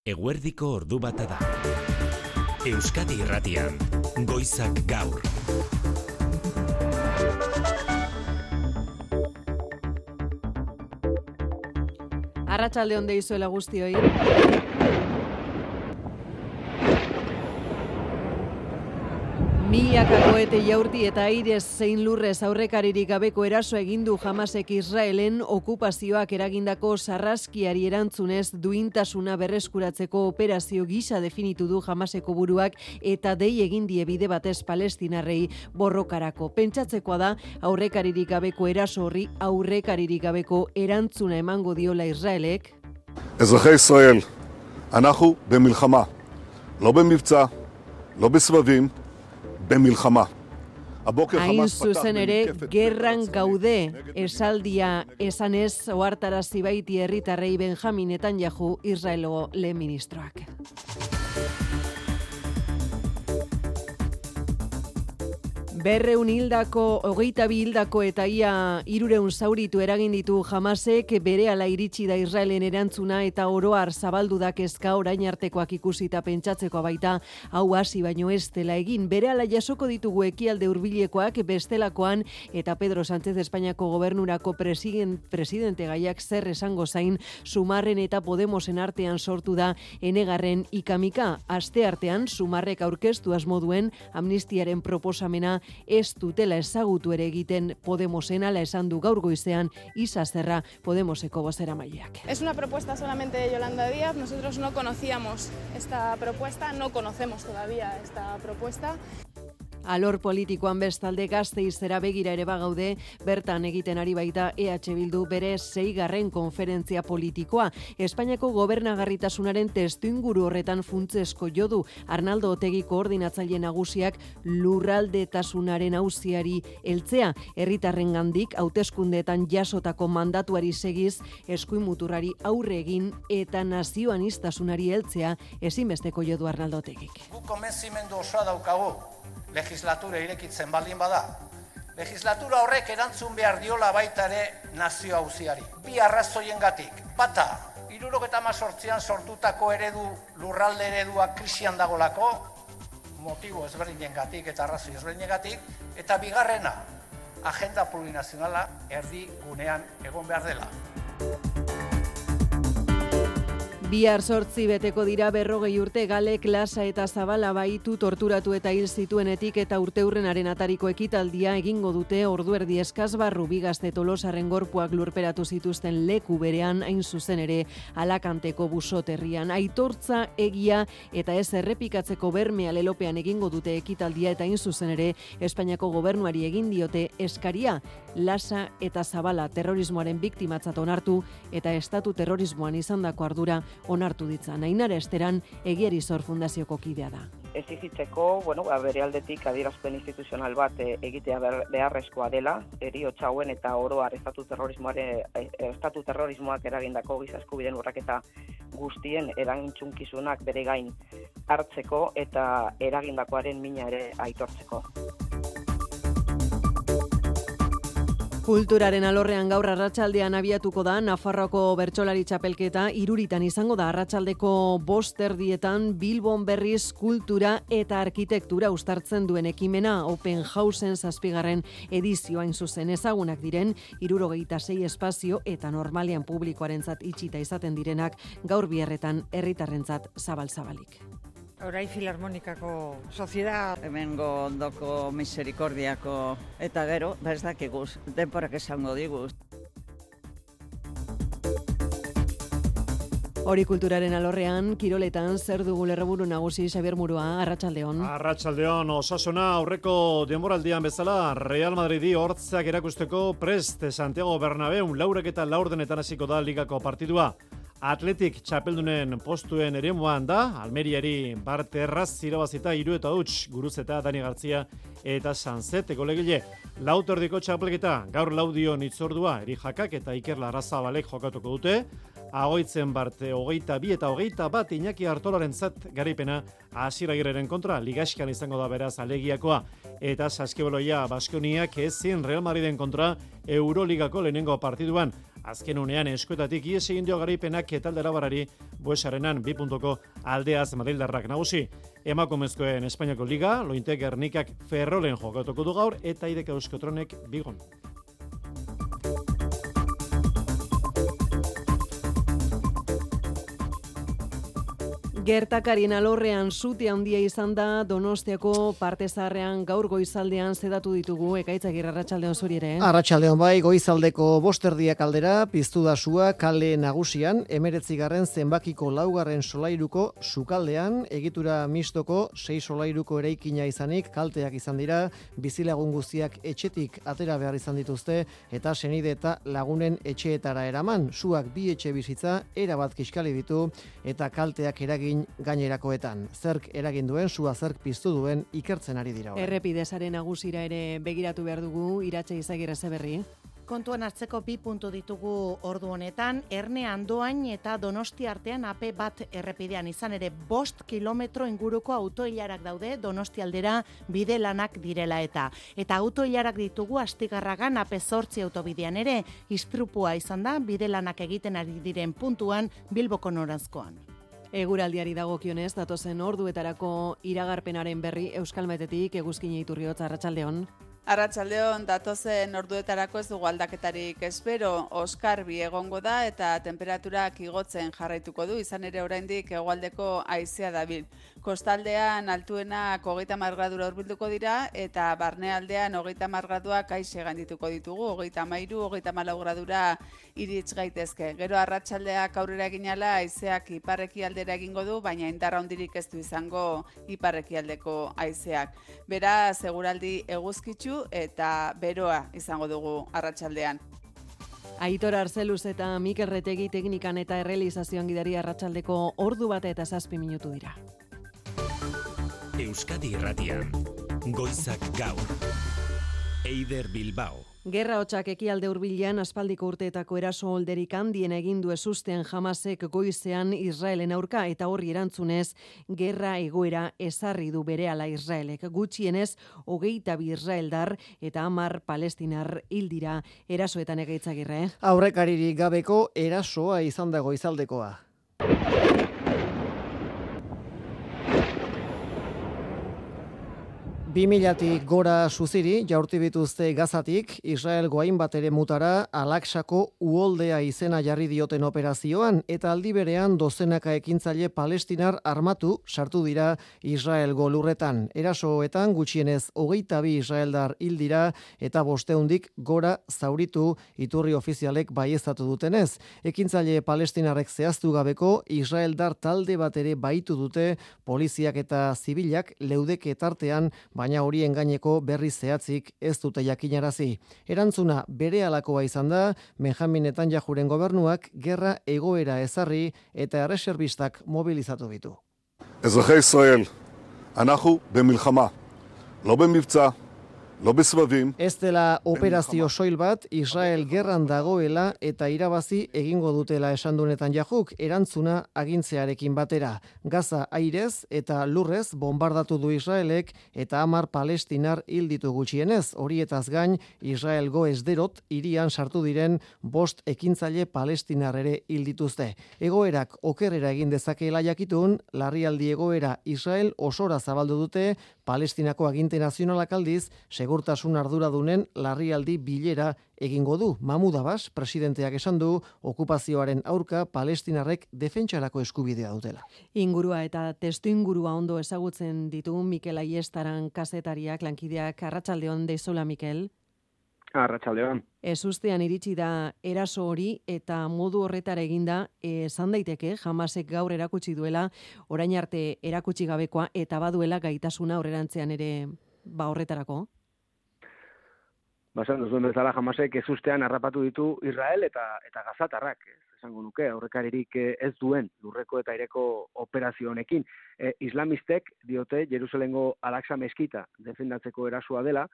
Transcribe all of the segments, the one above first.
Eguerdiko ordu bata da. Euskadi Irratian, Goizak Gaur. Arratsalde on deizuela guztioi. Milaka koete jaurti eta airez zein lurrez aurrekaririk gabeko eraso egin du Hamasek Israelen okupazioak eragindako sarraskiari erantzunez duintasuna berreskuratzeko operazio gisa definitu du Hamaseko buruak eta dei egin die bide batez palestinarrei borrokarako. Pentsatzekoa da aurrekaririk gabeko eraso horri aurrekaririk gabeko erantzuna emango diola Israelek. אזרחי ישראל, אנחנו במלחמה, לא במבצע, לא בסבבים, במלחמה. Hain zuzen ere, gerran gaude, esaldia esanez ohartarazi baiti herritarrei Benjamin Netanyahu, Israelgo lehen ministroak. Berreun hildako, 22 hildako eta ia 300 zauritu eragin ditu Hamasek, berehala iritsi da Israelen erantzuna eta oroar zabaldu da kezka orain artekoak ikusita pentsatzekoa baita, hau hasi baino ez dela egin. Berehala jasoko ditugu ekialde hurbilekoak bestelakoan eta Pedro Sánchez Espainiako gobernurako presidente gaiak zer esango zain Sumarren eta Podemosen artean sortu da enegarren ikamika. Aste artean Sumarrek aurkeztu asmo duen amnistiaren proposamena ez dutela ezagutu ere egiten Podemosen, ala esan du gaur goizean Isa Serra, Podemoseko bozeramaileak. Es una propuesta solamente de Yolanda Díaz, nosotros no conocíamos esta propuesta, no conocemos todavía esta propuesta. Alor politikoan bestalde Gasteizera begira ere bagaude, bertan egiten ari baita EH Bildu bere 6. konferentzia politikoa. Espainiako gobernagarritasunaren testuinguru horretan funtsezko jo du Arnaldo Otegi koordinatzaile nagusiak lurraldetasunaren auziari heltzea, herritarrengandik hauteskundeetan jasotako mandatuari segiz eskuin muturrari aurre egin eta nazioaniztasunari heltzea ezinbesteko jo du Arnaldo Otegik. Guk konbentzimendu osoa daukagu. Legislatura irekitzen baldin bada. Legislatura horrek erantzun behar diola baita ere nazio auziari. Bi arrazoiengatik. Bata, 1978an sortutako lurralde eredua krisian dagolako, motibo ezberdinengatik eta arrazoi ezberdinengatik, eta bigarrena, agenda plurinazionala erdi gunean egon behar dela. Bihar 8 beteko dira 40 urte Galek, Lasa eta Zabala baitu torturatu eta hil zituenetik eta urteurrenaren atariko ekitaldia egingo dute orduerdi eskaz barru Bigazte Tolosaren gorpuak lurperatu zituzten leku berean, hain zuzen ere Alakanteko busoterrian. Aitortza, egia eta ez errepikatzeko bermea lelopean egingo dute ekitaldia eta hain zuzen ere Espainiako gobernuari egin diote eskaria. Lasa eta Zabala terrorismoaren biktimatzat onartu eta estatu terrorismoan izandako ardura onartu ditza. Ainara Esteran Egiari Zor Fundazioko kidea da. Exigitzeko, bere aldetik adierazpen instituzional bat egitea beharrezkoa dela, heriotza hauen eta oro har estatu terrorismoak eragindako giza eskubideen urraketa guztien erantzunkizunak bere gain hartzeko eta eragindakoaren mina ere aitortzeko. Kulturaren alorrean gaur arratsaldean abiatuko da Nafarroako bertsolari txapelketa, 3 izango da arratsaldeko 5:00 Bilbon berriz kultura eta arkitektura uztartzen duen ekimena Open Houseen 7. edizioa hain zuzen. Ezagunak diren 76 espazio eta normalean publikoarentzat itxita izaten direnak gaur biharretan herritarrentzat zabal-zabalik. Orai Filarmonikako soziedad, hemengo ondoko Miserikordiako eta gero, ez dakiguz, denporak esango diguz. Hori kulturaren alorrean, kiroletan zer dugu lerroburu nagusi Xabier Murua, arratsaldeon. Arratsaldeon, Osasuna aurreko denboraldian bezala Real Madridi hortzak erakusteko prest Santiago Bernabéu 4:04 hasiko da ligako partidua. Atletik txapeldunen postuen eremuan da, Almeriari Bart Erraz irabazita 3-0 Guruzeta, Dani Gartzia eta Sanzete golegile. Lautordiko txapelketa, gaur laudion itzordua, Erijakak eta Iker Larrazabalek jokatuko dute. Agoitzen Barte 22 eta 21 Iñaki Artolarentzat garaipena Asier Agirreren kontra ligaxkan izango da beraz alegiakoa. eta Saskibaloia Baskoniak ezin Real Madriden kontra Euroligako lehenengo partiduan. Azken unean eskuetatik ies egin dio garaipenak etaldera barari Buesarenan 2 puntuko aldeaz Madrildarrak nagusi. Emakumezkoen Espainiako Liga, Lointe Gernikak Ferrolen jokatuko du gaur eta Ideka Euskotronek Bigon. Gertakarien alorrean sute handia izan da Donostiako parte zaharrean gaur goizaldean zedatu ditugu Ekaitzagirre arratsaldeon zuri ere. Arratsaldeon bai, goizaldeko 5:00 aldera piztu da sua kale nagusian 19. zenbakiko 4. solairuko sukaldean egitura mistoko 6 solairuko eraikina izanik kalteak izan dira, bizilagun guztiak etxetik atera behar izan dituzte eta senide eta lagunen etxeetara eraman. Suak 2 etxe bizitza erabat kiskali ditu eta kalteak eragin gainerakoetan. Zerk eragin duen, sua zerk piztu duen ikertzen ari dira. Errepidesaren nagusira ere begiratu behar dugu, Iratxe Izagirre Zeberri. Kontuan hartzeko 2 puntu ditugu ordu honetan, Erne Andoain eta Donosti artean AP bat errepidean izan ere 5 kilometro inguruko autoilarak daude Donosti aldera bide lanak direla eta autoilarak ditugu Astigarragan AP 8 autobidean ere, istripua izan da bide lanak egiten ari diren puntuan Bilboko noranzkoan. Eguraldiari dagokionez, datozen orduetarako iragarpenaren berri Euskalmetetik Eguzkine Iturriotz arratsaldeon. Arratsaldeon, datozen orduetarako ez dugu aldaketarik espero, oskarbi egongo da eta temperaturak igotzen jarraituko du, izan ere oraindik hegoaldeko haizea dabil. Kostaldean altuenak 30 gradura hurbilduko dira eta barnealdean 30 graduak aixe gaindituko ditugu, 33, 34 gradura iritz gaitezke. Gero arratsaldeak aurrera eginala haizeak iparrekialdera egingo du, baina indarra handirik ez du izango iparrekialdeko haizeak. Beraz, eguraldi eguzkitsu eta beroa izango dugu arratsaldean. Aitor Arzeluz eta Mikel Retegi teknikan eta errealizazioan gidari arratsaldeko ordu bat eta 7 minutu dira. Euskadi Irratian, Goizak Gaur, Eider Bilbao. Gerra hotsak ekialde hurbilean aspaldiko urteetako eraso olderik handien egin du ezustean Hamasek goizean Israelen aurka eta horri erantzunez gerra egoera ezarri du berehala Israelek. Gutxienez 22 israeldar eta 10 palestinar hil dira erasoetan Egaitzagirre. Aurrekaririk gabeko erasoa izan da goizaldekoa. 2000tik gora suziri jaurti bituzte Gazatik, Israelgo hainbat eremutara Al-Aqsako uholdea izena jarri dioten operazioan eta aldi berean dozenaka ekintzaile palestinar armatu sartu dira Israelgo lurretan. Erasoetan gutxienez 22 israeldar hil dira eta 500 gora zauritu iturri ofizialek baieztatu dutenez. Ekintzaile palestinarrek zehaztu gabeko israeldar talde bat ere baitu dute poliziak eta zibilak leudeke tartean, baina horien gaineko berri zehatzik ez dute jakinarazi. Erantzuna berehalakoa izan da, Benjamin Netanyahuren gobernuak gerra egoera ezarri eta erreserbistak mobilizatu ditu. אזרחי ישראל, אנחנו במלחמה, לא במבצע, לא בסבבים. Ez dela operazio soil bat, Israel gerran dagoela eta irabazi egingo dutela esan du Netanyahuk, erantzuna agintzearekin batera. Gaza airez eta lurrez bombardatu du Israelek eta 10 palestinar hil ditu gutxienez. Horietaz gain, Israelgo Esderot hirian sartu diren 5 ekintzaile palestinar ere hil dituzte. Egoerak okerrera egin dezakeela jakitun, larrialdi egoera Israel osora zabaldu dute, Palestinako aginte nazionalak aldiz, segurtasun arduradunen larrialdi bilera egingo du. Mahmud Abbas, presidenteak esan du, okupazioaren aurka palestinarrek defentsarako eskubidea dutela. Ingurua eta testuingurua ondo ezagutzen ditu Mikel Aiestaran kazetariak, lankideak, arratsaldeon deizola Mikel. Arratsaldeon. Ezustean iritsi da eraso hori eta modu horretara eginda esan daiteke Hamasek gaur erakutsi duela orain arte erakutsi gabekoa eta baduela gaitasuna aurrerantzean ere horretarako. Basan duzuen bezala Hamasek ezustean harrapatu ditu Israel eta gazatarrak, esango nuke, aurrekaririk ez duen lurreko eta aireko operazio honekin. Islamistek diote Jerusalengo Al-Aqsa meskita defendatzeko erasoa dela,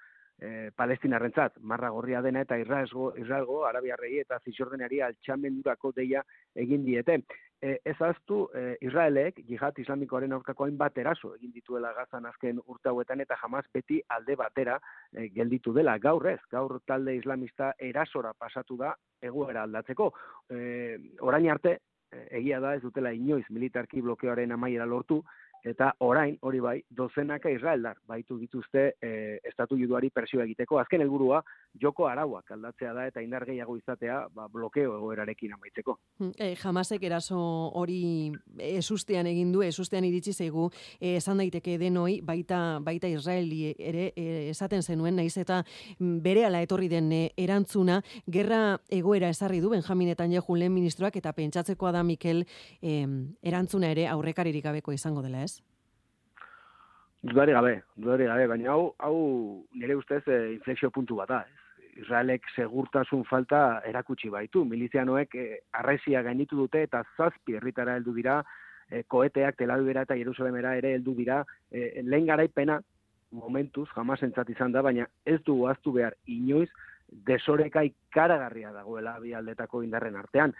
Palestinarrentzat marra gorria dena eta Israelgo arabiarrei eta zizordenari altxamendurako deia egin diete. Ez ahaztu, Israelek jihad islamikoaren aurkako hainbat eraso egin dituela Gazan azken urte hauetan eta Hamas beti alde batera gelditu dela. Gaur talde islamista erasora pasatu da egoera aldatzeko. Orain arte, egia da ez dutela inoiz militarki blokeoaren amaiera lortu, eta orain, hori bai, dozenaka israeldar baitu dituzte estatu juduari presioa egiteko. Azken helburua joko arauak aldatzea da eta indar gehiago izatea blokeo egoerarekin amaitzeko. Hamasek eraso hori ezustean egin du, ezustean iritsi zaigu, esan daiteke denoi, baita Israeli ere esaten zenuen, naiz eta berehala etorri den erantzuna, gerra egoera ezarri du Benjamin Netanyahu lehen ministroak, eta pentsatzekoa da, Mikel, erantzuna ere aurrekaririk gabeko izango dela, ez? Dudari gabe, baina hau nire ustez inflexio puntu bat da, ez? Israelek segurtasun falta erakutsi baitu. Milizianoek arrezia gainitu dute eta 7 herritara heldu dira, koeteak Tel Avivera eta Jerusalemera ere heldu dira. Lehen garaipena momentuz Hamasentzat izan da, baina ez du ahaztu behar inoiz desoreka ikaragarria dagoela bi aldetako indarren artean.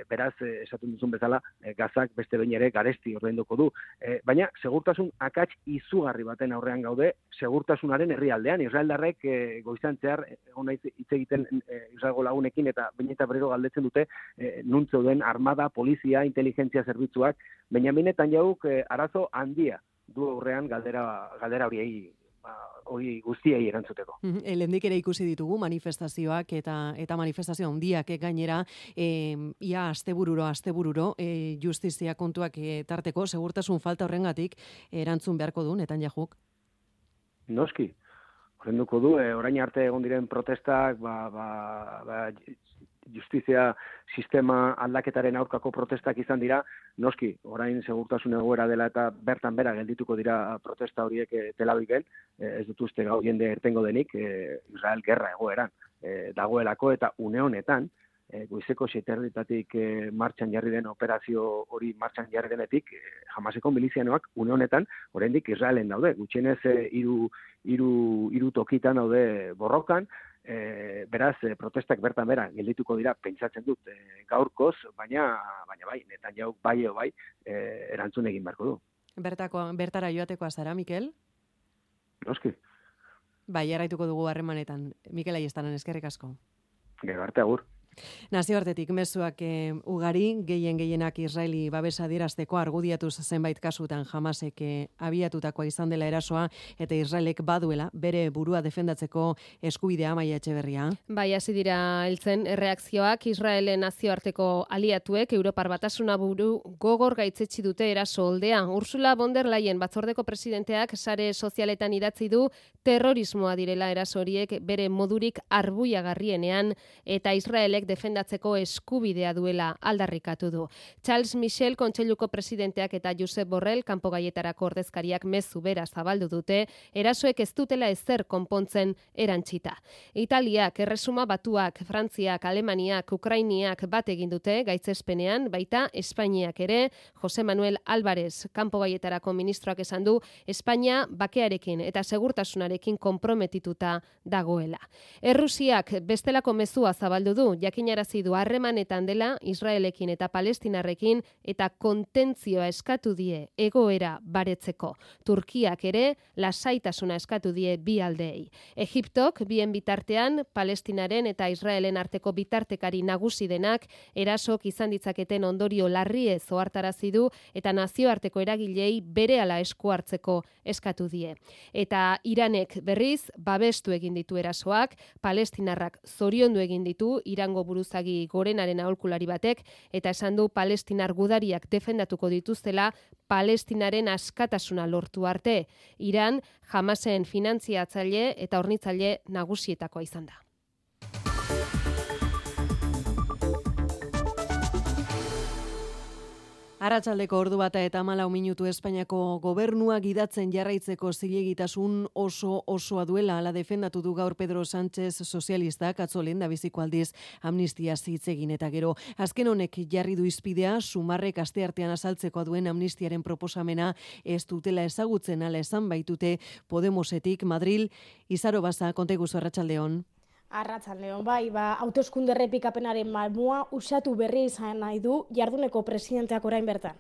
Beraz, esaten duzun bezala, Gazak beste behin ere garesti ordainduko du. Baina, segurtasun akats izugarri baten aurrean gaude, segurtasunaren herrialdean. Israeldarrek goizan zehar, hitz egiten Israelgo lagunekin, eta behin eta berriro galdetzen dute, nun zeuden armada, polizia, inteligentzia zerbitzuak, Benjamin Netanyahuk arazo handia du aurrean galdera hori guztiei erantzuteko. Lehendik ere ikusi ditugu manifestazioak eta manifestazio handiak gainera, ia astebururo, justizia kontuak tarteko, segurtasun falta horrengatik erantzun beharko du Netanyahuk? Noski, horrenduko du, orain arte egon diren protestak, justizia sistema aldaketaren aurkako protestak izan dira, noski, orain segurtasun egoera dela eta bertan bera geldituko dira protesta horiek Tel Aviven, ez dut uste gau jende ertengo denik, Israel gerra egoeran dagoelako eta une honetan, goizeko 7:00 martxan jarri den operazio hori martxan jarri denetik, Hamaseko milizianoak une honetan, oraindik Israelen daude, gutxienez hiru tokitan daude borrokan, beraz, protestak bertan bera geldituko dira, pentsatzen dut gaurkoz, baina bai, Netanyahuk bai, erantzun egin beharko du. Bertara joatekoa zara, Mikel? Noski. Bai, jarraituko dugu harremanetan. Mikel Aiestaran, eskerrik asko. Gero arte, agur. Nazioartetik mezuak ugari, gehienak Israeli babesa adierazteko argudiatuz zenbait kasutan Hamasek abiatutakoa izan dela erasoa eta Israelek baduela bere burua defendatzeko eskubidea. Amaia Etxeberria. Bai, hasi dira heltzen erreakzioak. Israelen nazioarteko aliatuek Europar Batasuna buru gogor gaitzetsi dute eraso oldea. Ursula von der Leyen batzordeko presidenteak sare sozialetan idatzi du terrorismoa direla eraso horiek bere modurik arbuiagarrienean eta Israelek defendatzeko eskubidea duela aldarrikatu du. Charles Michel kontseiluko presidenteak eta Josep Borrell kanpogaietarako ordezkariak mezu bera zabaldu dute, erasoek ez dutela ezer konpontzen erantzita. Italiak, Erresuma Batuak, Frantziak, Alemaniak, Ukrainiak bat egin dute gaitzespenean, baita Espainiak ere. Jose Manuel Álvarez kanpogaietarako ministroak esan du Espainia bakearekin eta segurtasunarekin konprometituta dagoela. Errusiak bestelako mezua zabaldu du, jakinarazi du harremanetan dela Israelekin eta Palestinarrekin eta kontentzioa eskatu die egoera baretzeko. Turkiak ere lasaitasuna eskatu die bi aldeei. Egiptok bien bitartean Palestinaren eta Israelen arteko bitartekari nagusi denak erasok izan ditzaketen ondorio larrie ohartarazi du eta nazioarteko eragilei berehala esku hartzeko eskatu die. Eta Iranek berriz babestu egin ditu erasoak, Palestinarrak zoriondu egin ditu Irango buruzagi gorenaren aholkulari batek eta esan du palestinar gudariak defendatuko dituztela Palestinaren askatasuna lortu arte. Iran Hamasen finantziatzaile eta hornitzaile nagusietakoa izan da. Arratsaldeko 1:14 Espainiako gobernua gidatzen jarraitzeko zilegitasun osoa duela ala defendatu du gaur Pedro Sánchez sozialistak atzo lehendabiziko aldiz amnistia hitz egin eta gero azken honek jarri du izpidea Sumarrek asteartean azaltzeko duen amnistiaren proposamena ez dutela ezagutzen ala esan baitute Podemosetik. Madril, Izaro Baza, konteguzu arratsaldeon. Arratsaldeon, bai, hauteskunde errepikapenaren malmua usatu berri izan nahi du jarduneko presidenteak orain bertan.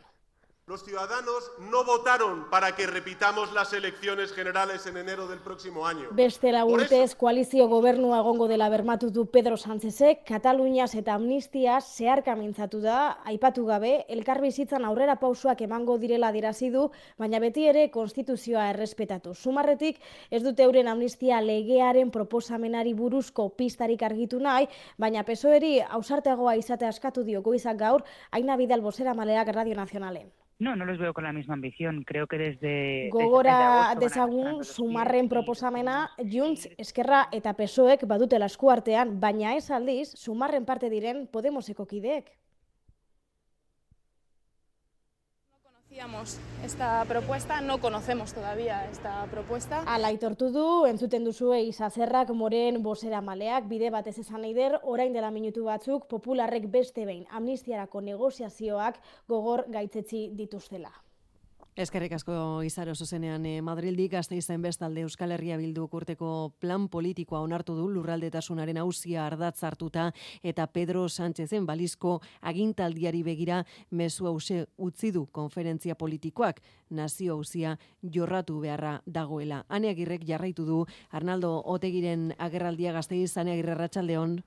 Los ciudadanos no votaron para que repitamos las elecciones generales en enero del próximo año. Beste urtez koalizio gobernua egongo dela bermatu du Pedro Sánchezek, Kataluniaz eta amnistiaz zeharka mintzatu da, aipatu gabe, elkarbizitzan aurrera pausoak emango direla adierazi du, baina beti ere konstituzioa errespetatu. Sumarretik ez dute euren amnistia legearen proposamenari buruzko pistarik argitu nahi, baina PSOEri ausarteagoa izatea askatu dio goizak gaur, Aina Vidal bozeramaleak Radio Nazionalen. No los veo con la misma ambición. Creo que desde... Gogora dezagun Sumarren proposamena Junts, Esquerra eta PSOEk badutela eskuartean, baina ez aldiz Sumarren parte diren Podemoseko kideek. Esta propuesta, no conocemos todavía esta propuesta. Ala aitortu du, entzuten duzue Isazerrak Moren bozeramaleak bide batez esan eider, orain dela minutu batzuk popularrek beste behin amnistiarako negoziazioak gogor gaitzetsi dituztela. Eskerrik asko Izaro zuzenean Madrildik Gasteizen bestalde Euskal Herria Bilduk urteko plan politikoa onartu du lurraldetasunaren auzia ardatz hartuta eta Pedro Sánchezen balizko agintaldiari begira mezu hause utzi du konferentzia politikoak nazio auzia jorratu beharra dagoela. Ane Agirrek jarraitu du Arnaldo Otegiren agerraldia Gasteiz. Ane Agirre, arratsaldeon.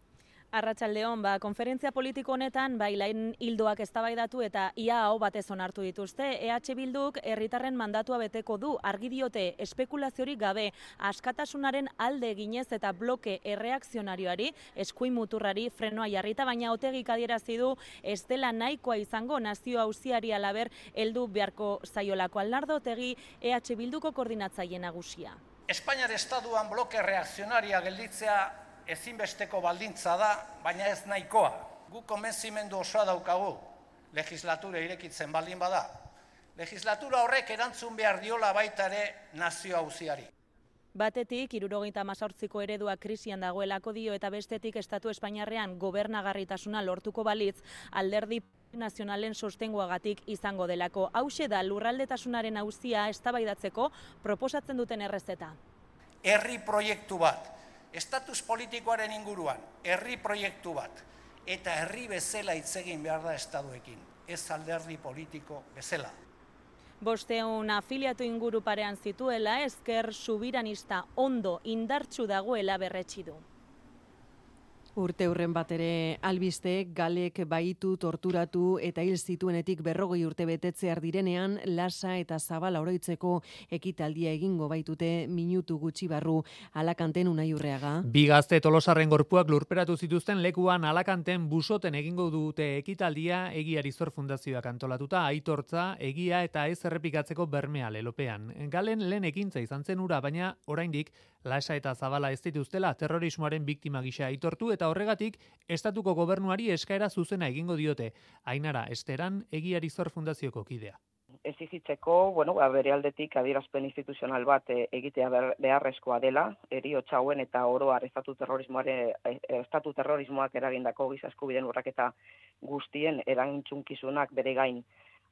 Arratsaldeon, konferentzia politiko honetan lain hildoak eztabaidatu eta ia aho batez onartu dituzte. EH Bilduk herritarren mandatua beteko du, argi diote espekulaziorik gabe, askatasunaren alde eginez eta bloke erreakzionarioari, eskuin muturrari frenoa jarrita, baina Otegik adierazi du ez dela nahikoa izango nazio auziari alaber heldu beharko zaiolako. Arnaldo Otegi, EH Bilduko koordinatzaile nagusia. Espainiar estatuan bloke reakzionaria gelditzea ezinbesteko baldintza da, baina ez nahikoa. Gu konbentzimendu osoa daukagu, legislatura irekitzen baldin bada. Legislatura horrek erantzun behar diola baita ere nazio auziari. Batetik, 78ko eredua krisian dagoelako dio eta bestetik estatu espainiarrean gobernagarritasuna lortuko balitz alderdi nazionalen sostenguagatik izango delako. Hauxe da lurraldetasunaren auzia eztabaidatzeko proposatzen duten errezeta. Herri proiektu bat. Estatus politikoaren inguruan, herri proiektu bat, eta herri bezala hitz egin behar da estatuekin, ez alderdi politiko bezala. 500 afiliatu inguru parean zituela, ezker subiranista ondo indartsu dagoela berretsi du. Urte hurren bat ere albiste, Galek baitu, torturatu eta hil zituenetik 40 urte betetzear direnean, lasa eta zabala oroitzeko ekitaldia egingo baitute minutu gutxi barru. Alakanten Unai Urreaga. Bi gazte Tolosarren gorpuak lurperatu zituzten lekuan Alakanten busoten egingo dute ekitaldia Egiari Zor Fundazioak antolatuta, aitortza, egia eta ez errepikatzeko bermea lelopean. Galen lehen ekintza izan zen ura, baina oraindik lasa eta zabala ez dituztela terrorismoaren biktima gisa aitortu eta horregatik estatuko gobernuari eskaera zuzena egingo diote. Ainara Esteran, Egiari Zor Fundazioko kidea. Exigitzeko, bere aldetik adierazpen instituzional bat egitea beharrezkoa dela, heriotza hauen eta oro har estatu terrorismoak eragindako giza eskubideen urraketa guztien eragintsunkizunak bere gain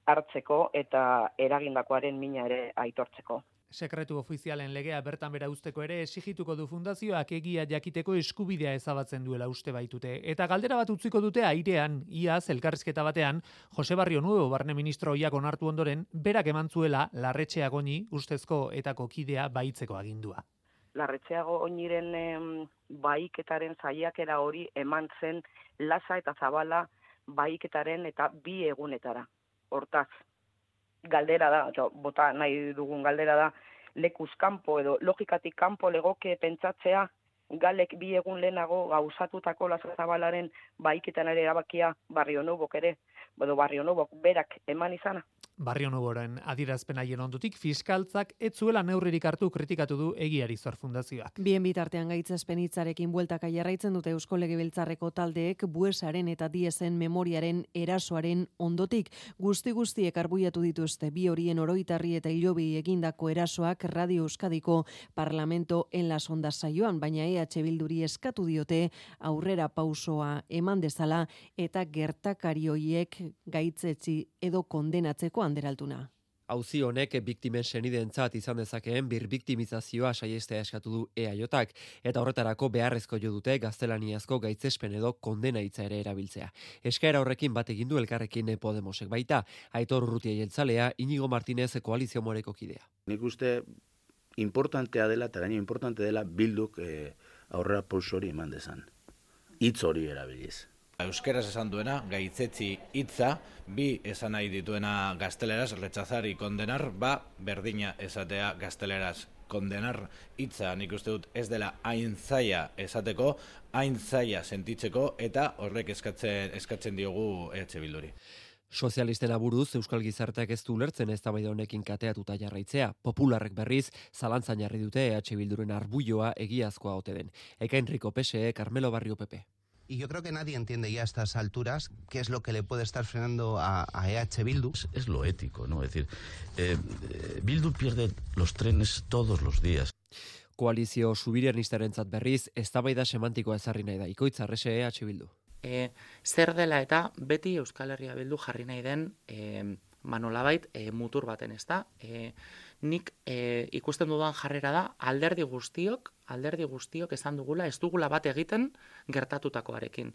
hartzeko eta eragindakoaren mina ere aitortzeko. Sekretu ofizialen legea bertan bera uzteko ere esigituko du fundazioak egia jakiteko eskubidea ezabatzen duela uste baitute. Eta galdera bat utziko dute airean, iaz elkarrizketa batean, Jose Barrio Nuevo barne ministro ohiak onartu ondoren, berak eman zuela Larretxea Goñi ustezko etako kidea baitzeko agindua. Larretxea Goñiren baiketaren saiakera hori eman zen lasa eta zabala baiketaren eta 2 egunetara. Hortaz, galdera da, bota nahi dugun galdera da, lekuz kanpo edo logikatik kanpo legoke pentsatzea Galek 2 egun lehenago gauzatutako lasa zabalaren baiketan ere erabakia Barrio Nuevok ere, Barrio Nuevok berak eman izana. Barrio Nuboren adierazpen haien ondotik fiskaltzak ez zuela neurririk hartu kritikatu du Egiari Zor Fundazioak. Bien bitartean gaitzespen hitzarekin bueltaka jarraitzen dute Eusko Legebiltzarreko taldeek Buesaren eta Diesen memoriaren erasoaren ondotik guztiek arbuiatu dituzte bi horien oroitarri eta hilobi egindako erasoak Radio Euskadiko Parlamento en las Ondas saioan, baina EH Bilduri eskatu diote aurrera pausoa eman dezala eta gertakari hoiek gaitzetsi edo kondenatzeko anderaltuna. Auzi honek biktimen senideentzat izan dezakeen birbiktimizazioa saiestea eskatu du EAJak eta horretarako beharrezko jo dute gaztelaniazko gaitzespen edo kondena hitza ere erabiltzea. Eskaera horrekin bat egin du Elkarrekin Podemosek baita, Aitor Urrutia jeltzalea, Inigo Martinez Koalizio Moreko kidea. Nik uste importantea dela eta gaino importante dela Bilduk aurrera pauso hori eman dezan. Hitz hori erabiliz. Euskeraz esan duena, gaitzetsi hitza, bi esan nahi dituena gazteleraz, rechazar y condenar, berdina esatea gazteleraz. Kondenar hitza nik uste dut ez dela hain zaila esateko, hain zaila sentitzeko eta horrek eskatzen diogu EH Bilduri. Sozialisten aburuz Euskal Gizarteak ez du ulertzen eztabaida honekin kateatuta jarraitzea. Popularrek berriz zalantzan jarri dute EH Bilduren arbuioa egiazkoa ote den. Ekain Rico PSE, Carmelo Barrio PP. Y yo creo que nadie entiende ya a estas alturas qué es lo que le puede estar frenando a EH Bildu. Es lo ético, ¿no? Es decir, Bildu pierde los trenes todos los días. Koalizio subiranistarentzat berriz eztabaida semantikoa ezarri nahi da. Ikoitz Arrese EH Bildu. Zer dela eta beti Euskal Herria Bildu jarri nahi den nolabait mutur baten, ezta? Nik ikusten dudan jarrera da alderdi guztiok esan dugula ez dugula bat egiten gertatutakoarekin.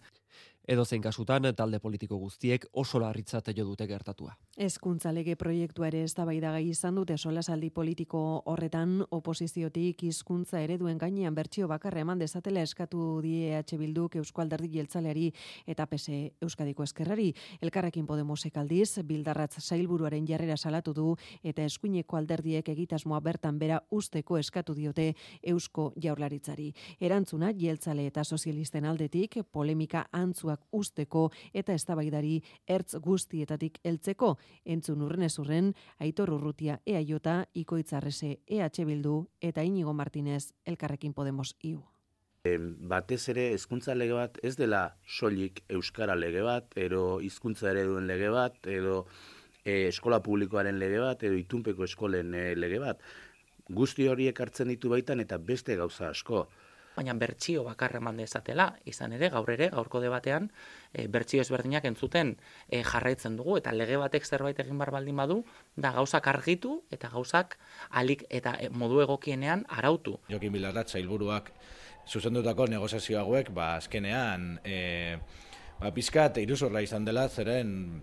Edozein kasutan talde politiko guztiek oso larritzat jo dute gertatua. Hezkuntza lege proiektua ere eztabaidagai izan dute solasaldi politiko horretan oposiziotik hizkuntza ereduen gainean bertsio bakarra eman dezatela eskatu die EH Bilduk Eusko Alderdi Jeltzaleari eta PSE Euskadiko Ezkerrari. Elkarrekin Podemosek aldiz Bildarratz sailburuaren jarrera salatu du eta eskuineko alderdiek egitasmoa bertan bera usteko eskatu diote Eusko Jaurlaritzari. Erantzuna Jeltzale eta sozialisten aldetik polemika antzuak usteko eta eztabaidari ertz guztietatik heltzeko. Entzun urrenez Aitor Urrutia EAJ, Ikoitz Arrese EH Bildu eta Inigo Martinez Elkarrekin Podemos IU. Batez ere hezkuntza lege bat ez dela soilik euskara lege bat, edo hizkuntza ereduen lege bat, edo eskola publikoaren lege bat, edo itunpeko eskolen lege bat. Guzti horiek hartzen ditu baitan eta beste gauza asko. Baina bertsio bakarra eman dezatela, izan ere, gaurko debatean, bertsio ezberdinak entzuten jarraitzen dugu, eta lege batek zerbait egin bar baldin badu, da gauzak argitu eta gauzak alik eta modu egokienean arautu. Jokin Bildarratz sailburuak zuzendutako negoziazio hauek, azkenean, pizkat iruzurra izan dela, zeren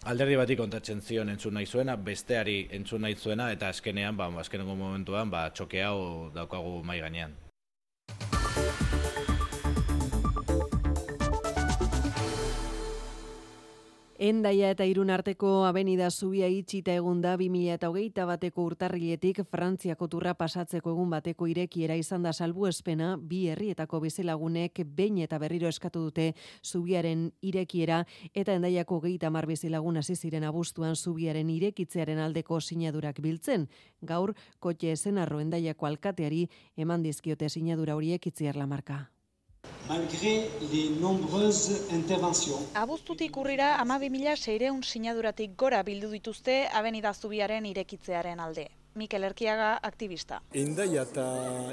alderdi bati kontatzen zion entzun nahi zuena, besteari entzun nahi zuena, eta azkenean, azkenengo momentuan, txoke hau daukagu mai gainean. Hendaia eta Irun arteko abenida zubia itxita egun da 2021ko urtarriletik Frantziako turra pasatzeko egun bateko irekiera izan da salbuespena, bi herrietako bizilagunek behin eta berriro eskatu dute zubiaren irekiera eta Hendaiako 30 bizilagun hasi ziren abuztuan zubiaren irekitzearen aldeko sinadurak biltzen. Gaur Kotxe Ezenarro Hendaiako alkateari eman dizkiote sinadura horiek Itziar Lamarca. Malgré les nombreuses interventions. Abuztutik urrira 12.600 sinaduratik gora bildu dituzte abenida zubiaren irekitzearen alde. Mikel Erkiaga, aktivista. Hendaia eta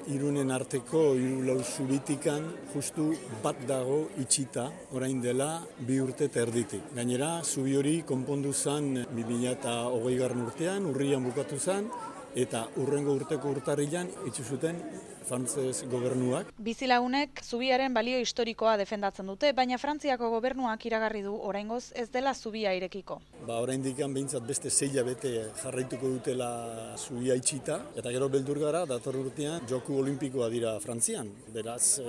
Irunen arteko 4 zubitikan justu bat dago itxita, orain dela 2 urte eta erditik. Gainera, zubi hori konpondu zen 2020 urtean, urrian bukatu zen, eta urrengo urteko urtarrilan itxu zuten frantzes gobernuak. Bizilagunek zubiaren balio historikoa defendatzen dute, baina Frantziako gobernuak iragarri du oraingoz ez dela zubia irekiko. Oraindikan behintzat beste 6 hilabete jarraituko dutela zubia itxita, eta gero beldur gara, dator urtean Joku Olimpikoa dira Frantzian. Beraz,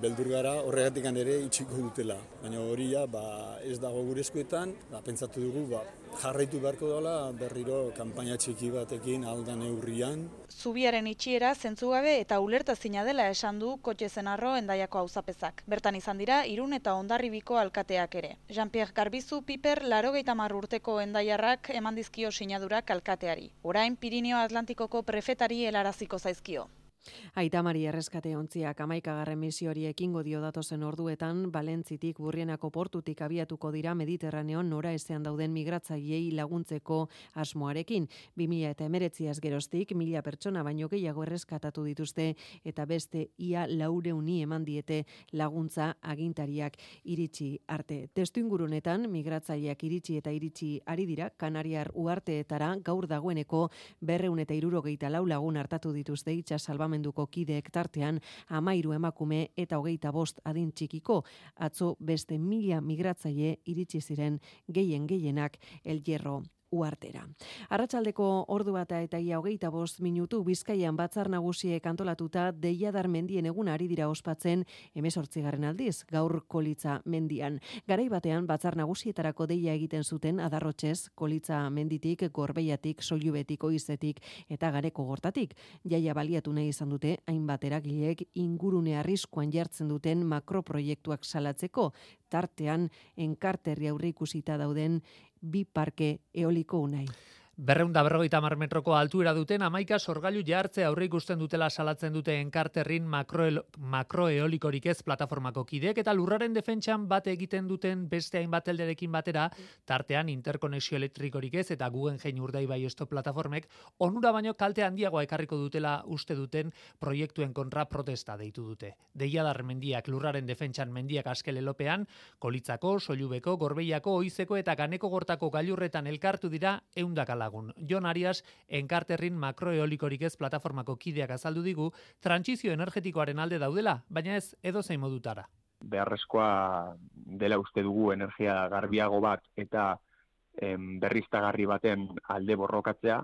beldur gara horregatikan ere itxiko dutela. Baina hori ez dago gure eskuetan, pentsatu dugu jarraitu beharko dela berriro kanpaina txiki batekin aldan neurrian. Zubiaren itxiera zentzugabe eta ulertezina dela esan du Kotxe Zenarro Hendaiako auzapezak. Bertan izan dira Irun eta Hondarribiko alkateak ere. Jean-Pierre Garbizu Piper 80 urteko hendaiarrak eman dizkio sinadurak alkateari. Orain Pirineo Atlantikoko prefetari helaraziko zaizkio. Aita Mari erreskate ontziak 11. misiori ekingo dio datozen orduetan Balentzitik Burrienako portutik abiatuko dira Mediterraneon noraezean dauden migratzaileei laguntzeko asmoarekin. 2019 geroztik 1000 pertsona baino gehiago erreskatatu dituzte eta beste ia 400 eman diete laguntza agintariak iritsi arte. Testuingurunetan migratzaileak iritsi ari dira Kanariar uharteetara gaur dagoeneko 264 lagun hartatu dituzte itsas salbamenduko kideek tartean 13 emakume eta 25 adin txikiko. Atzo beste 1000 migratzaile iritsi ziren gehienak El Hierro uhartera. Arratsaldeko ordu bata eta ia 25 minutu Bizkaian batzar nagusiek antolatuta Deiadar mendien eguna ari dira ospatzen 18. aldiz, gaur Kolitza mendian. Garai batean batzar nagusietarako deia egiten zuten Adarrotzez, Kolitza menditik, Gorbeiatik, Soilubetik, Oizetik eta Gareko Gortatik. Jaia baliatu nahi izan dute hainbat eragilek ingurune arriskuan jartzen duten makroproiektuak salatzeko, tartean enkarterri aurreikusita dauden 2 parke eoliko unai. 250 metroko altuera duten 11 sorgailu jartze aurre ikusten dutela salatzen dute enkarterrin makroeolikorik ez plataformako kideek eta lurraren defentsan bat egiten duten beste hainbat elderekin batera, tartean interkonexio elektrikorik ez eta Guggenheim Urdaibai Stop plataformek onura baino kalte handiagoa ekarriko dutela uste duten proiektuen kontra protesta deitu dute. Deiadar mendiak lurraren defentsan mendiak askelelopean, Kolitzako, Soilubeko, Gorbeiako, Oizeko eta Ganeko Gortako gailurretan elkartu dira 100 Jon Arias, enkarterrin makroeolikorik ez plataformako kideak azaldu digu, trantsizio energetikoaren alde daudela, baina ez edozein modutara. Beharrezkoa dela uste dugu energia garbiago bat eta berriztagarri baten alde borrokatzea,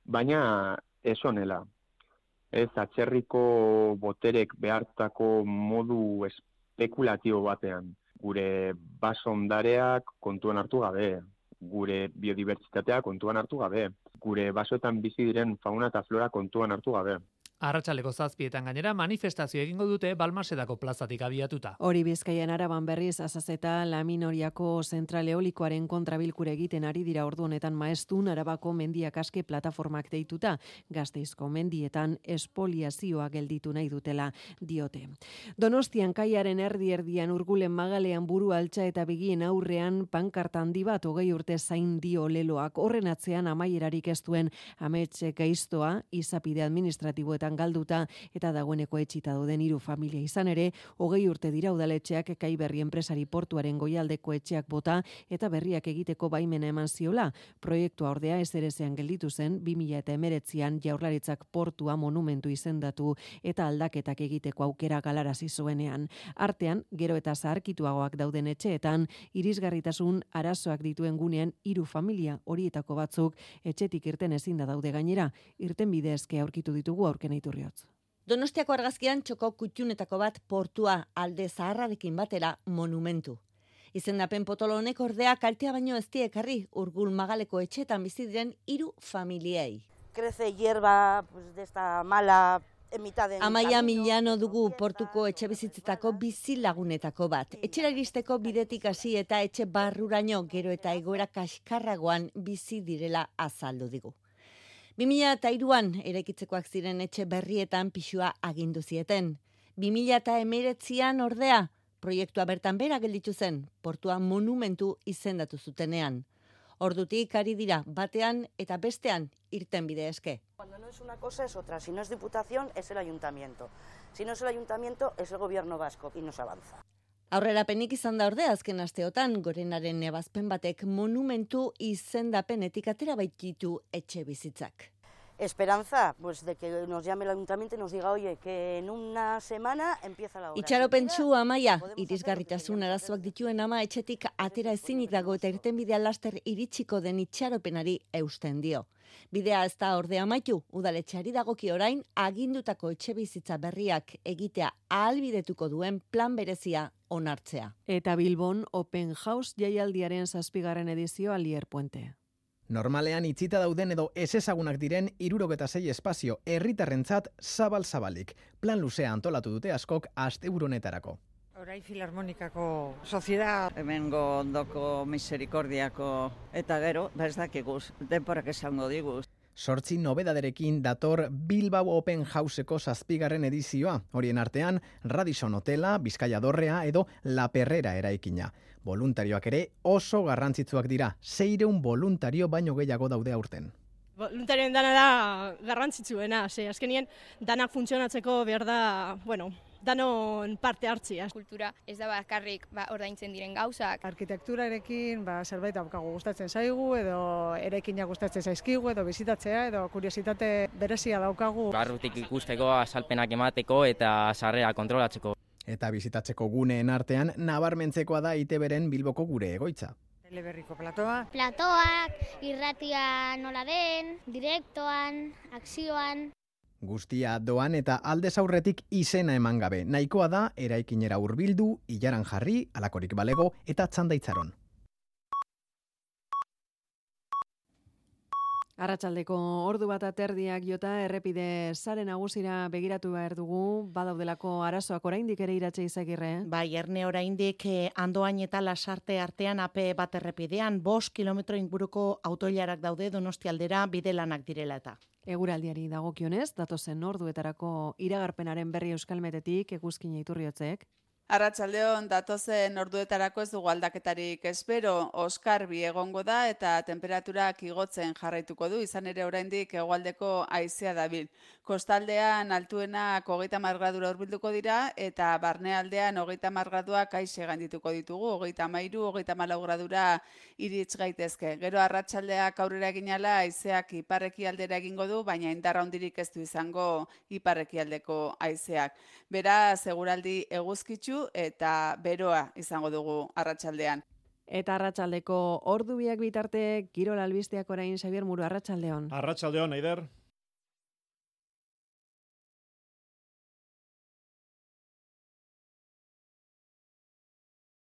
baina ez honela. Ez atzerriko boterek behartako modu espekulatibo batean. Gure basondareak kontuan hartu gabe, gure biodibertsitatea kontuan hartu gabe, gure basoetan bizi diren fauna eta flora kontuan hartu gabe. Arratsaleko 7:00 gainera manifestazio egingo dute Balmasedako plazatik abiatuta. Hori Bizkaian Araban berriz Azazeta Laminoriako zentral eolikoaren kontrabilkure egiten ari dira ordu honetan Maeztun Arabako mendiak aske plataformak deituta, Gasteizko mendietan espoliazioa gelditu nahi dutela diote. Donostian kaiaren erdian Urgulen Magalean buru altxa eta begien aurrean pankarta handi bat 20 urte zain dio leloak. Horren atzean amaierarik ez duen amets gaiztoa izapide administratiboetan galduta eta dagoeneko etxita dauden 3 familia izan ere, 20 urte dira udaletxeak Kaiberri enpresari portuaren goialdeko etxeak bota eta berriak egiteko baimena eman ziola. Proiektua ordea ezerezean gelditu zen 2019an Jaurlaritzak portua monumentu izendatu eta aldaketak egiteko aukera galarazi zuenean. Artean, gero eta zaharkituagoak dauden etxeetan, irisgarritasun arazoak dituen gunean 3 familia horietako batzuk etxetik irten ezin da daude gainera, irten bidezke aurkitu ditugu aurken iturriotz. Donostiako argazkian txoko kutxunetako bat portua alde zaharrarekin batera monumentu. Izendapen potolo honek ordea kaltea baino ez die ekarri Urgul Magaleko etxeetan bizi diren 3 familiei. Crece hierba de esta mala Amaia Milano dugu portuko etxe bizitzetako bizi lagunetako bat. Etxera iristeko bidetik hasi eta etxe barruraino gero eta egoera kaskarragoan bizi direla azaldu digu. 2003an eraikitzekoak ziren etxe berrietan pisua agindu zieten. 2019an ordea proiektua bertan bera gelditu zen, portua monumentu izendatu zutenean. Ordutik ari dira batean eta bestean irten bide eske. Cuando no es una cosa es otra, si no es diputación es el ayuntamiento. Si no es el ayuntamiento es el gobierno vasco y no se avanza. Aurrerapenik izan da ordea azken asteotan Gorenaren ebazpen batek monumentu izendapenetik atera baititu etxe bizitzak. Esperanza, pues de que nos llame el ayuntamiento y nos diga, oye, que en una semana empieza la obra. Itxaropentsu Amaia, irisgarritasun arazoak dituen ama etxetik atera ezinik dago eta irtenbidea laster iritsiko den itxaropenari eusten dio. Bidea ez da ordea amaitu, udaletxeari dagoki orain agindutako etxebizitza berriak egitea ahalbidetuko duen plan berezia onartzea. Eta Bilbon Open House jaialdiaren 7. edizioa Lier Puente. Normalean itxita dauden edo ezezagunak diren 76 espazio herritarrentzat zabal-zabalik. Plan luzea antolatu dute askok asteburu honetarako. Orai Filarmonikako soziedad. Hemengo ondoko miserikordiako eta gero, ez dakiguz, denporak esango diguz. 8 nobedaderekin dator Bilbao Open Houseko 7. edizioa. Horien artean, Radisson Hotela, Bizkaia Dorrea edo La Perrera eraikina. Voluntarioak ere oso garrantzitsuak dira. 600 voluntario baino gehiago daude aurten. Voluntarioen dana da garrantzitsuena. Azkenien danak funtzionatzeko behar da, danon parte hartzia. Kultura ez da bakarrik ordaintzen diren gauzak. Arkitekturarekin zerbait daukagu gustatzen zaigu, edo eraikinak gustatzen zaizkigu, edo bizitatzea, edo kuriositate berezia daukagu. Barrutik ikusteko, azalpenak emateko eta sarrera kontrolatzeko. Eta bizitatzeko guneen artean nabarmentzekoa da ITBren Bilboko gure egoitza. Teleberriko platoa. Platoak, irratia nola den, direktoan, akzioan. Guztia doan eta aldez aurretik izena eman gabe. Nahikoa da eraikinera hurbildu, ilaran jarri, alakorik balego eta txandaitzaron. Arratsaldeko 1:00 jota errepide sare nagusira begiratu behar dugu, badaudelako arazoak oraindik ere Iratxe Izagirre. Bai, erne oraindik Andoain eta Lasarte artean AP bat errepidean 5 kilometro inguruko autoilarak daude Donostialdera bidelanak direla eta. Eguraldiari dagokionez, datozen orduetarako iragarpenaren berri Euskalmetetik Eguzkin Iturriotzek. Arratsaldeon datozen orduetarako ez dugu aldaketarik espero, oskarbi egongo da eta temperaturak igotzen jarraituko du, izan ere oraindik hegoaldeko haizea dabil. Kostaldean altuenak 30 gradura hurbilduko dira eta barnealdean 30 graduak aixe gaindituko ditugu, 33, 34 gradura iritz gaitezke. Gero arratsaldeak aurrera eginala haizeak iparrekialdera egingo du, baina indarra handirik ez du izango iparrekialdeko haizeak. Beraz, eguraldi eguzkitsu eta beroa izango dugu arratsaldean. Eta arratsaldeko ordu biak bitarte, kirol albisteak orain Xabier Muru, arratsaldeon. Arratsaldeon, Aider.